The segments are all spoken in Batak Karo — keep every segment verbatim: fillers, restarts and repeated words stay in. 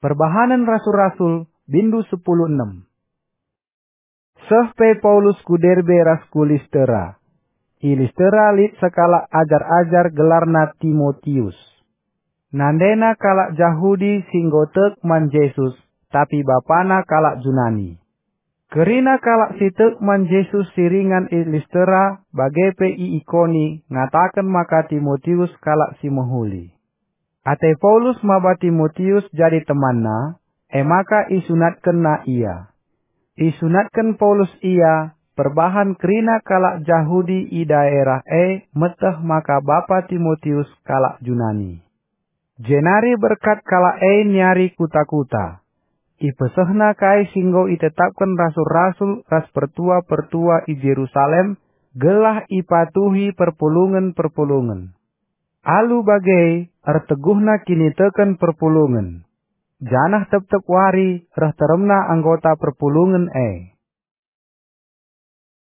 Perbahanen Rasul-Rasul, bindu sepuluh enem. Seh pe Paulus ku Derbe ras ku Listera. I Listera lit sekalak ajar-ajar gelarna Timotius. Nandena kalak Jahudi si enggo tek man Jesus, tapi bapana kalak Junani. Kerina kalak si tek man Jesus si ringan i Listera bage pe i Ikoni ngataken maka Timotius kalak si mehuli. Ate Paulus maba Timotius jadi temanna, e maka isunatkenna ia. Isunatken Paulus ia, perbahan kerina kalak Jahudi i daerah e meteh maka bapa Timotius kalak Junani. Jenari berkat kalak e niari kuta-kuta. Ipesehna kai si enggo itetapken rasul-rasul ras pertua-pertua i Jerusalem, gelah ipatuhi perpulungen-perpulungen. Alu bage, erteguhna kiniteken perpulungen, janah tep-tep wari reh teremna anggota perpulungen e.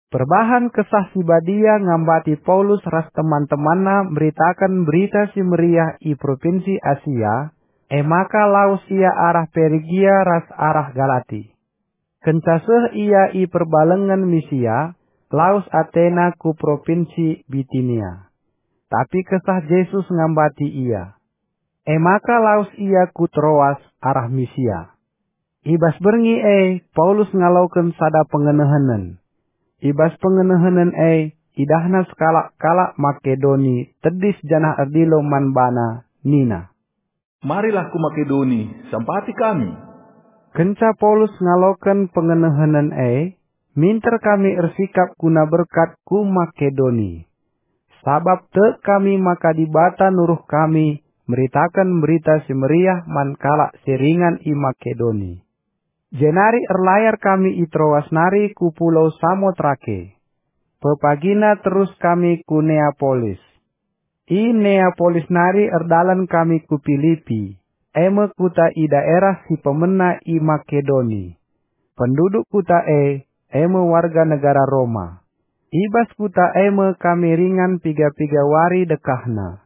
Perbahan Kesah Si Badia ngambati Paulus ras teman-temanna meritaken Berita Si Meriah i Propinsi Asia, e maka lawes ia arah Perigia ras arah Galati. Kenca seh ia i perbalengen Misia, lawes atena ku Propinsi Bitinia. Tapi Kesah Jesus ngambati ia. E maka lawes ia ku Troas arah Misia. I bas berngi e Paulus ngaloken sada pengenehenen. I bas pengenehenen e idahna sekalak kalak Makedoni tedis janah erdilo man bana, nina, "Marilah ku Makedoni, sampati kami." Kenca Paulus ngaloken pengenehenen e, minter kami ersikap guna berkat ku Makedoni. Sabap tek kami maka Dibata nuruh kami meritaken Berita Si Meriah man kalak si ringan i Makedoni. Jenari erlayar kami i Troas nari ku pulau Samotrake. Pepagina terus kami ku Neapolis. I Neapolis nari erdalan kami ku Pilipi, e me kuta i daerah si pemena i Makedoni. Penduduk kuta e, e me warga negara Roma. I bas kuta e me kami ringan piga-piga wari dekahna.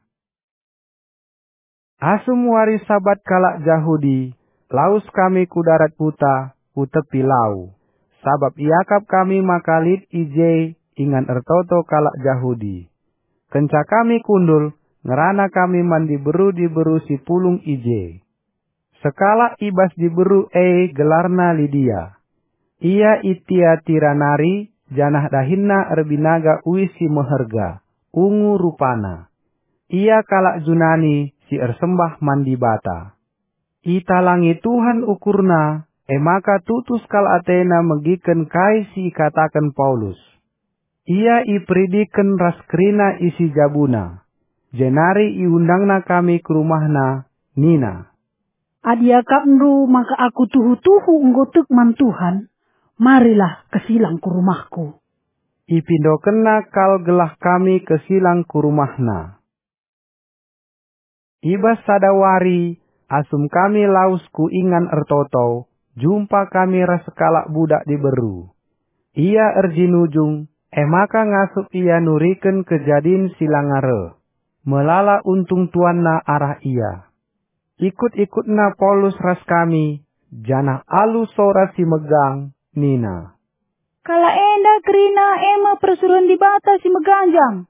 Asum wari Sabat kalak Jahudi, lawes kami ku darat kuta, ku tepi lau, sabap iakap kami maka lit i je ingan ertoto kalak Jahudi. Kenca kami kundul, ngerana kami man diberu-diberu si pulung i je. Sekalak i bas diberu e gelarna Lidia. Ia i Tiatira nari, janah dahinna erbinaga uis si meherga, ungu rupana. Ia kalak Junani si ersembah man Dibata. Italangi Tuhan ukurna, e maka tutus kal atena megiken kai si ikataken Paulus. Ia iperidiken ras kerina isi jabuna, jenari iundangna kami ku rumahna, nina, "Adi akapndu maka aku tuhu-tuhu enggo tek man Tuhan, marilah kesilang ku rumahku." Ipindokenna kal gelah kami kesilang ku rumahna. I bas sada wari, asum kami lawes ku ingan ertoto, jumpa kami ras sekalak budak diberu. Ia erjinujung, e maka ngasup ia nuriken kejadin si langa reh. Melala untung tuanna arah ia. Ikut-ikutna Paulus ras kami, janah alu sora si megang, nina, "Kalak enda kerina e me persuruhen Dibata si meganjang.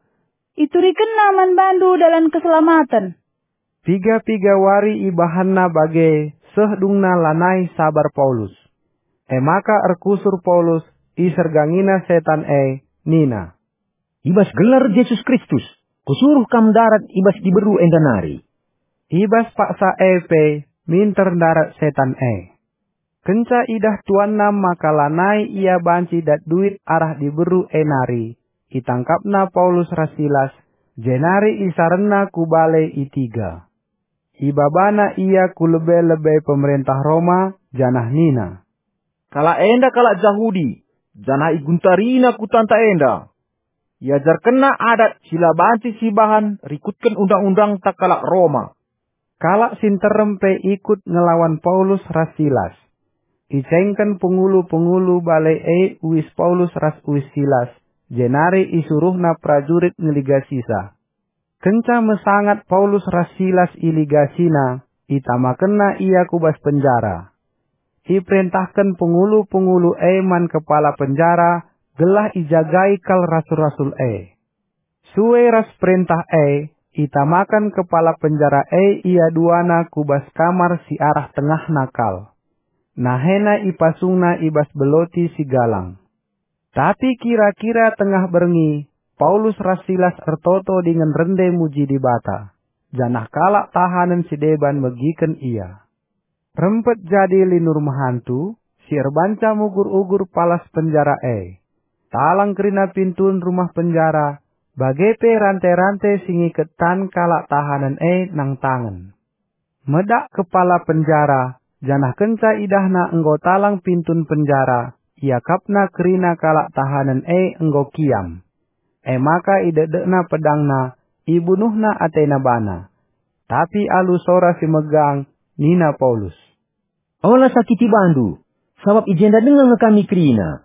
Iturikenna man bandu dalan keselamaten." Piga-piga wari ibahanna bage seh dungna lanai sabar Paulus. E maka erkusur Paulus, isergangina setan e, nina, "I bas gelar Jesus Kristus, kusuruh kam ndarat i bas diberu enda nari." I bas paksa e pe minter ndarat setan e. Kenca idah tuanna maka lanai ia banci dat duit arah diberu e nari, itangkapna Paulus ras Silas, jenari isarenna ku bale i Tiga. Ibabana ia ku lebe-lebe pemerentah Roma, janah nina, "Kalak enda kalak Jahudi, janah iguntarina kutanta enda. Iajarkenna adat si la banci sibahan rikutken undang-undangta kalak Roma." Kalak si nterem pe ikut ngelawan Paulus ras Silas. Icengken pengulu-pengulu bale e uis Paulus ras uis Silas, jenari isuruhna perajurit ngeligasisa. Kenca mesangat Paulus ras Silas iligasina, itamakenna ia ku bas penjara. Iperentahken pengulu-pengulu e man kepala penjara gelah ijagai kal rasul-rasul e. Sue ras perentah e, itamaken kepala penjara e ia duana ku bas kamar si arah tengahna kal. Nahena ipasungna i bas beloti si galang. Tapi kira-kira tengah berngi, Paulus ras Silas ertoto dingen rende muji Dibata, janah kalak tahanen si deban megiken ia. Rempet jadi linur mehantu, si erbanca mugur-ugur palas penjara e. Talang kerina pintun rumah penjara, bage pe rante-rante si ngiket tan kalak tahanen e nangtangen. Medak kepala penjara, janah kenca idahna enggo talang pintun penjara, iakapna kerina kalak tahanen e enggo kiam. E maka idekdekna pedangna, ibunuhna atena bana. Tapi alu sora si megang, nina Paulus, "Ola sakiti bandu, sabap i jenda denga nge kami kerina."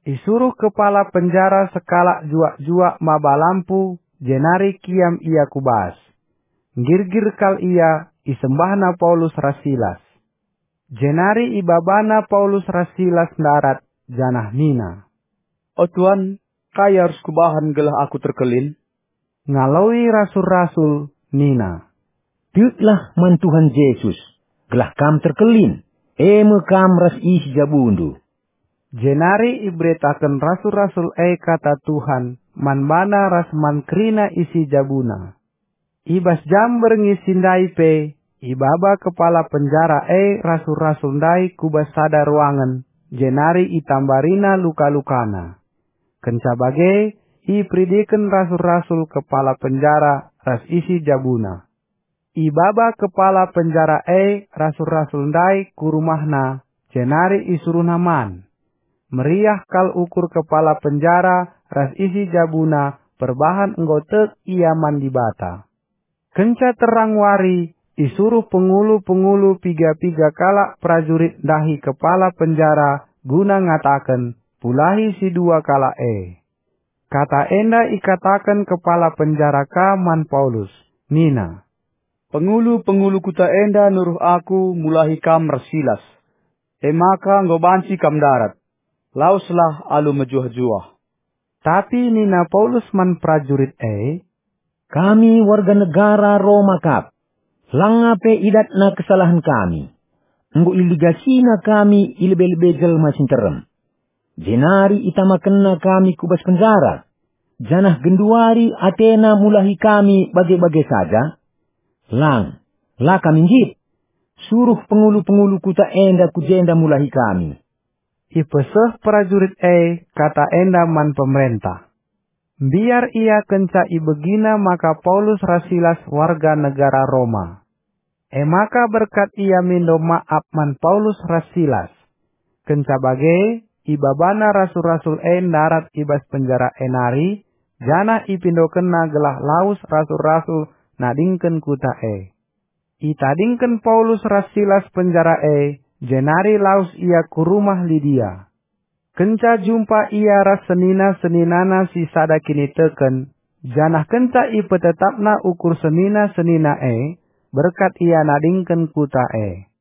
Isuruh kepala penjara sekalak juak-juak maba lampu, jenari kiam ia ku bas. Nggirgir kal ia, isembahna Paulus ras Silas. Jenari ibabana Paulus ras Silas ndarat, janah nina, "O Tuan, kai arus kubahan gelah aku terkelin?" Ngaloi rasul-rasul nina, "Teklah man Tuhan Jesus, gelah kam terkelin, e me kam ras isi jabundu." Jenari iberitaken rasul-rasul e kata Tuhan man bana ras man kerina isi jabuna. I bas jam berngi si ndai pe, ibaba kepala penjara e rasul-rasul ndai ku bas sada ruangen, jenari itambarina luka-lukana. Kenca bage, iperidiken rasul-rasul kepala penjara ras isi jabuna. Ibaba kepala penjara e rasul-rasul ndai ku rumahna, jenari isuruhna man. Meriah kal ukur kepala penjara ras isi jabuna perbahan enggo tek ia man Dibata. Kenca terang wari, isuruh pengulu-pengulu piga-piga kalak perajurit ndahi kepala penjara guna ngataken, "Pulahi si dua kalak e." Kata enda ikataken kepala penjara ka man Paulus, nina, "Pengulu-pengulu kuta enda nuruh aku mulahi kam ras Silas. E maka enggo banci kam ndarat. Laweslah alu mejuah-juah." Tapi nina Paulus man perajurit e, "Kami warga negara Roma kap. Langa pe idatna kesalahen kami. Enggo iligasina kami i lebe-lebe jelma si nterem. Jenari itamakenna kami ku bas penjara, janah genduari atena mulahi kami bage-bage saja? Lang, la kami nggit. Suruh pengulu-pengulu kuta enda ku jenda mulahi kami." Ipeseh perajurit e kata enda man pemerentah. Mbiar ia kenca ibegina maka Paulus ras Silas warga negara Roma. E maka berkat ia mindo maap man Paulus ras Silas. Kenca bage, ibabana rasul-rasul e ndarat i bas penjara e nari, janah ipindokenna gelah lawes rasul-rasul nadingken kuta e. Itadingken Paulus ras Silas penjara e, jenari lawes ia ku rumah Lidia. Kenca jumpa ia ras senina-seninana si sada kiniteken, janah kenca ipetetapna ukur senina-senina e, berkat ia nadingken kuta e.